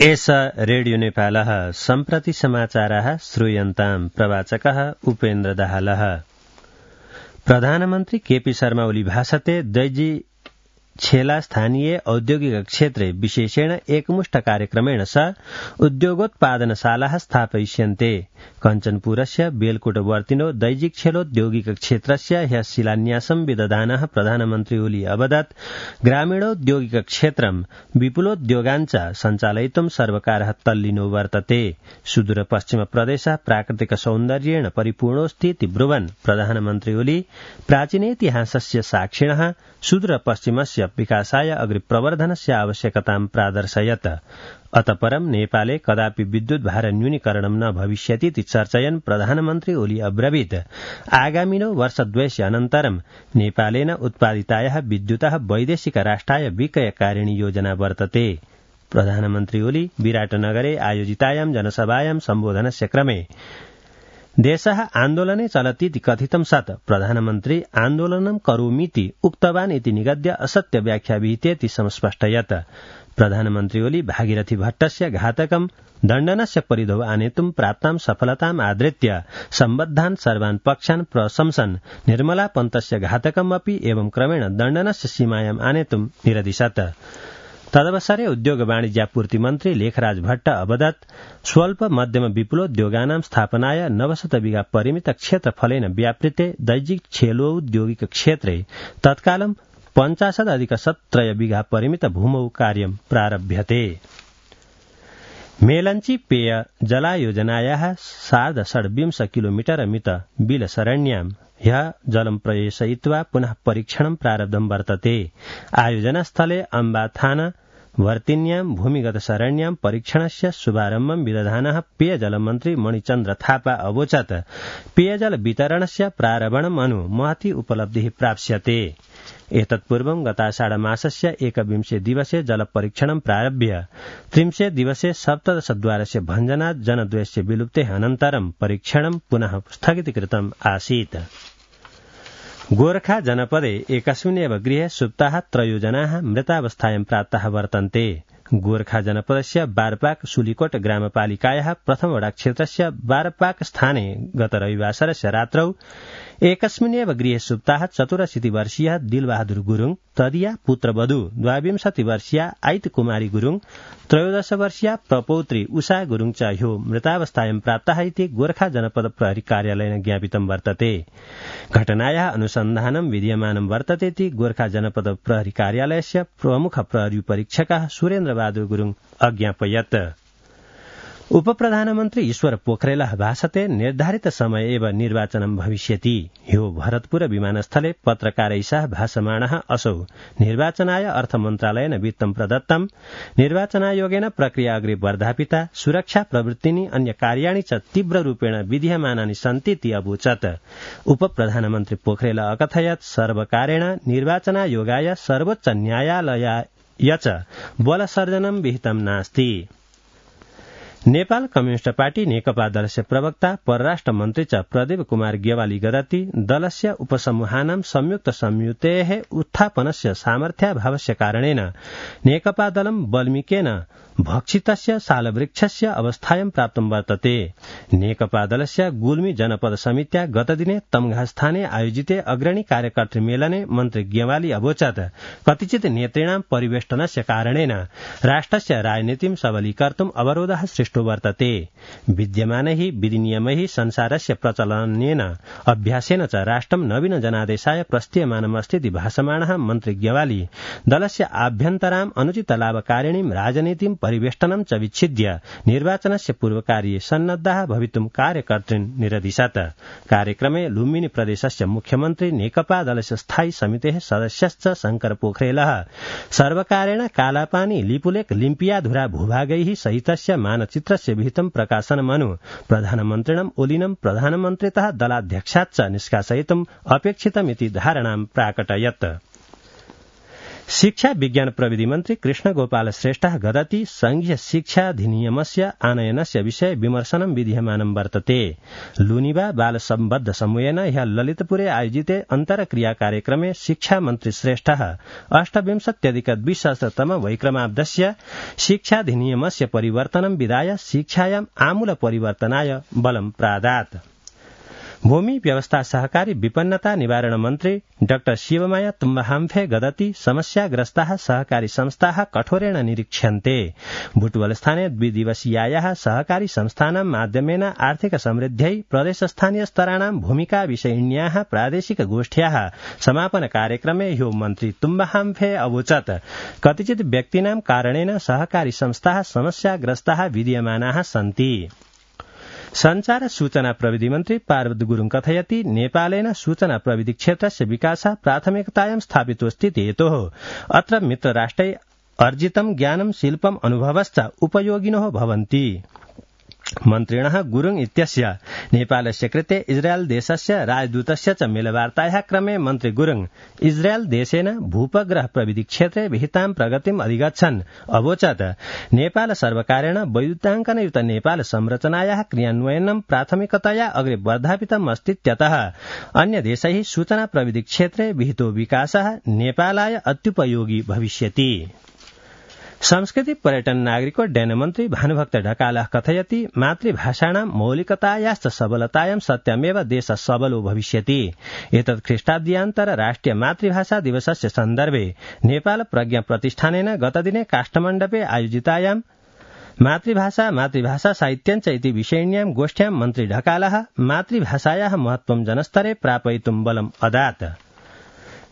एष रेडियो नेपालः सम्प्रति समाचाराः श्रूयन्ताम् प्रवाचकः उपेन्द्र दाहालः। प्रधानमन्त्री केपी शर्मा ओली भाषते दैजी छेला स्थानीय औद्योगिक क्षेत्रे विशेषेण एकमुष्ट कार्यक्रमेण स उद्योगोत्पादनशालाः स्थापयिष्यन्ते। कञ्चनपुरस्य बेलकोटवर्तिनो दैजिक छेलोद्योगिक क्षेत्रस्य ह्यः शिलान्यासं विदधानः प्रधानमन्त्री ओली अवदत् ग्रामीणौद्योगिक क्षेत्रं विपुलोद्योगाञ्च सञ्चालयितुं सर्वकारः तल्लीनो वर्तते। सुदूरपश्चिम प्रदेशः प्राकृतिक सौन्दर्येण परिपूर्णोऽस्तीति ब्रुवन् प्रधानमन्त्री ओली प्राचीनेतिहासस्य साक्षिणः सुदूरपश्चिमस्य विकासाय अग्रिप्रवर्धनस्य आवश्यकतां प्रादर्शयत्। अतः परं नेपाले कदापि विद्युत भार न्यूनीकरणं न भविष्यतीति चर्चयन् प्रधानमन्त्री ओली अब्रवीत् आगामिनो वर्षद्वयस्य अनन्तरं नेपालेन उत्पादितायाः विद्युतः वैदेशिक राष्ट्राय विक्रयकारिणी योजना वर्तते। प्रधानमन्त्री ओली विराटनगरे आयोजितायां जनसभायां सम्बोधनस्य क्रमे देशः आन्दोलने चलतीति कथितं सत् प्रधानमन्त्री आन्दोलनं करोमीति उक्तवान् इति निगद्य असत्य व्याख्या विहितेति संस्पष्टयत्। प्रधानमन्त्री ओली भागीरथी भट्टस्य घातकं दण्डनस्य परिधौ आनेतुं प्राप्तां सफलताम् आदृत्य सम्बद्धान् सर्वान् पक्षान् प्रशंसन् निर्मला पन्तस्य घातकम् अपि एवं क्रमेण दण्डनस्य सीमायाम् आनेतुं निरदिशत्। तदवसरे उद्योग वाणिज्यापूर्ति मन्त्री लेखराज भट्ट अवदत् स्वल्प मध्यम विपुलोद्योगानां स्थापनाय 900 बिघा परिमित क्षेत्रफलेन व्यापृते दैजिक छेलोद्योगिक क्षेत्रे तत्कालं 50+ बिघा परिमित भूमौ कार्यं प्रारभ्यते। मेलंची पेय जलायोजनायाः 26 किलोमीटर मित बिलसरण्यां ह्यः जलं प्रवेशयित्वा पुनः परीक्षणं प्रारब्धं वर्तते। आयोजनास्थले अम्बाथान वर्तिन्यां भूमिगत सरण्यां परीक्षणस्य शुभारम्भं विदधानः पेयजलमन्त्री मणिचन्द्र थापा अवोचत् पेयजल वितरणस्य प्रारम्भम् अनु महती उपलब्धिः प्राप्स्यते। एतत्पूर्वं गताषाढमासस्य 21 दिवसे जलपरीक्षणं प्रारभ्य 30 दिवसे 17 द्वारस्य भञ्जनात् जनद्वयस्य विलुप्तेः अनन्तरं परीक्षणं पुनः स्थगितीकृतम् आसीत्। गोरखा जनपदे एकस्मिन्नेव गृहे सुप्ताः 3 जनाः मृतावस्थायां प्राप्ताः वर्तन्ते। गोरखा जनपदस्य बारपाक सुलीकोट ग्रामपालिकायाः प्रथम वडा क्षेत्रस्य बारपाक स्थाने गत रविवासरस्य रात्रौ एकस्मिन्नेव गृहे सुप्ताः 84 वर्षीयः दिलबहादुर गुरुङ तदिया पुत्रवधू 22 वर्षीया आइत कुमारी गुरुङ 13 वर्षीया प्रपौत्री उषा गुरुङ च ह्यो मृतावस्थायां प्राप्ताः इति गोरखा जनपद प्रहरी कार्यालयेन ज्ञापितं वर्तते। घटनायाः अनुसन्धानं विद्यमानं वर्तते इति गोरखा जनपद प्रहरी कार्यालयस्य प्रमुख प्रहरी परीक्षकः सुरेन्द्र बहादुर गुरुङ अज्ञापयत्। उपप्रधानमन्त्री ईश्वर पोखरेलः भाषते निर्धारित समय एव निर्वाचनं भविष्यति। ह्यो भरतपुर विमानस्थले पत्रकारैः सह भाषमाणः असौ निर्वाचनाय अर्थमन्त्रालयेन वित्तं प्रदत्तं निर्वाचनायोगेन प्रक्रिया अग्रे वर्धापिता सुरक्षा प्रवृत्तिनि अन्य कार्याणि च तीव्ररूपेण विधीयमानानि सन्तीति अवोचत्। उपप्रधानमन्त्री पोखरेल अकथयत् सर्वकारेण निर्वाचनायोगाय सर्वोच्च न्यायालयाय च बलसर्जनं विहितं नास्ति। नेपाल कम्युनिस्ट पार्टी नेकपा दलस्य प्रवक्ता परराष्ट्र मन्त्री च प्रदीप कुमार गेवाली गदति दलस्य उपसमूहानां संयुक्त संयुतेः उत्थापनस्य सामर्थ्याभावस्य कारणेन नेकपा दलं बल्मीकेन भक्षितस्य सालवृक्षस्य अवस्थायां प्राप्तं वर्तते। नेकपा दलस्य गुल्मी जनपद समित्या गतदिने तमघास्थाने आयोजिते अग्रणी कार्यकर्तृ मेलने मन्त्री गेवाली अवोचत् कतिचित् नेतॄणां परिवेष्टनस्य कारणेन राष्ट्रस्य राजनीतिं सबलीकर्तुं अवरोधः सृष्टो वर्तते। विद्यमानैः विधिनियमैः संसारस्य प्रचलनेन अभ्यासेन च राष्ट्रं नवीन जनादेशाय प्रस्थीयमानमस्तीति भाषमाणः मन्त्री गेवाली दलस्य आभ्यन्तराम् अनुचित लाभकारिणीं राजनीतिं परिवेष्टनं च विच्छिद्य निर्वाचनस्य पूर्वकार्ये सन्नद्धाः भवितुं कार्यकर्तॄन् निरदिशत्। कार्यक्रमे लुम्बिनी प्रदेशस्य मुख्यमन्त्री नेकपा दलस्य स्थायी समितेः सदस्यश्च शंकर पोखरेलः सर्वकारेण कालापानी लिपुलेख लिम्पियाधुरा भूभागैः सहितस्य मानचित्रस्य विहितं प्रकाशनमनु प्रधानमन्त्रिणम् ओलिनं प्रधानमन्त्रितः दलाध्यक्षाच्च निष्कासयितुम् अपेक्षितमिति धारणां प्राकटयत्। शिक्षा विज्ञान प्रविधि मन्त्री कृष्ण गोपाल श्रेष्ठः गदति संघीय शिक्षाधिनियमस्य आनयनस्य विषये विमर्शनं विधीयमानं वर्तते। लुनिबा बाल सम्बद्ध समूहेन ह्यः ललितपुरे आयोजिते अन्तरक्रिया कार्यक्रमे शिक्षा मन्त्री श्रेष्ठः 28-20 वैक्रमाब्दस्य शिक्षाधिनियमस्य परिवर्तनं विधाय शिक्षायाम् आमूल परिवर्तनाय बलं प्रादात्। भूमि व्यवस्था सहकारी विपन्नता निवारण मन्त्री डाक्टर शिवमाया तुम्बहाम्फे गदति समस्याग्रस्ताः सहकारी संस्थाः कठोरेण निरीक्ष्यन्ते। बुटवलस्थाने द्विदिवसीयायाः सहकारी संस्थानां माध्यमेन आर्थिक समृद्ध्यै प्रदेशस्थानीय स्तराणां भूमिका विषयिण्याः प्रादेशिक गोष्ठ्याः समापन कार्यक्रमे ह्यो मन्त्री तुम्बहाम्फे अवोचत् कतिचित् व्यक्तीनां कारणेन सहकारी संस्थाः समस्याग्रस्ताः विद्यमानाः सन्ति। संचार सूचना प्रविधि मन्त्री पार्वती गुरुङ कथयति नेपालेन सूचना प्रविधि क्षेत्रस्य विकासः प्राथमिकतायां स्थापितोऽस्ति हेतोः अत्र मित्रराष्ट्रै अर्जितं ज्ञानं शिल्पम् अनुभवश्च उपयोगिनो भवन्ति। मन्त्रिणः गुरुङ इत्यस्य नेपालस्य कृते इस्रायल देशस्य राजदूतस्य च मेलवार्तायाः क्रमे मन्त्री गुरुङ इस्रायल देशेन भूपग्रह प्रविधि क्षेत्रे विहितां प्रगतिम् अधिगच्छन् अवोचत् नेपाल सर्वकारेण वैद्युताङ्कनयुत नेपाल संरचनायाः क्रियान्वयनं प्राथमिकतया अग्रे वर्धापितम् अस्तीत्यतः अन्य देशैः सूचना प्रविधि क्षेत्रे विहितो विकासः नेपालाय अत्युपयोगी भविष्यति। संस्कृति पर्यटन नागरिकोड्डयन मन्त्री भानुभक्त ढकालः कथयति मातृभाषाणां मौलिकतायाश्च सबलतायां सत्यमेव देशः सबलो भविष्यति। एतत् ख्रीष्टाब्द्यान्तर राष्ट्रिय मातृभाषा दिवसस्य सन्दर्भे नेपाल प्रज्ञा प्रतिष्ठानेन गतदिने काष्ठमण्डपे आयोजितायां मातृभाषा साहित्यञ्च इति विषयिण्यां गोष्ठ्यां मन्त्री ढकालः मातृभाषायाः महत्त्वं जनस्तरे प्रापयितुं बलम् अदात्।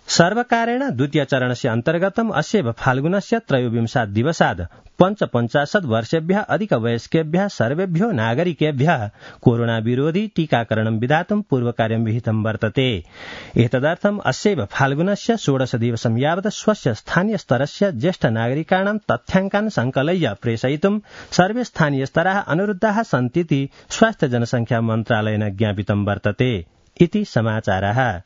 सर्वकारेण द्वितीय चरणस्य अन्तर्गतम् अस्यैव फाल्गुनस्य 23 दिवसात् 55 वर्षेभ्यः अधिकवयस्केभ्यः सर्वेभ्यो नागरिकेभ्यः कोरोना विरोधी टीकाकरणं विधातुं पूर्वकार्यं विहितं वर्तते। एतदर्थम् अस्यैव फाल्गुनस्य 16 दिवसं यावत् स्वस्य स्थानीय स्तरस्य ज्येष्ठ नागरिकाणां तथ्याङ्कान् संकलय्य प्रेषयितुं सर्वे स्थानीय स्तराः अनुरुद्धाः सन्तीति स्वास्थ्य जनसंख्या मन्त्रालयेन ज्ञापितं वर्तते इति समाचारः।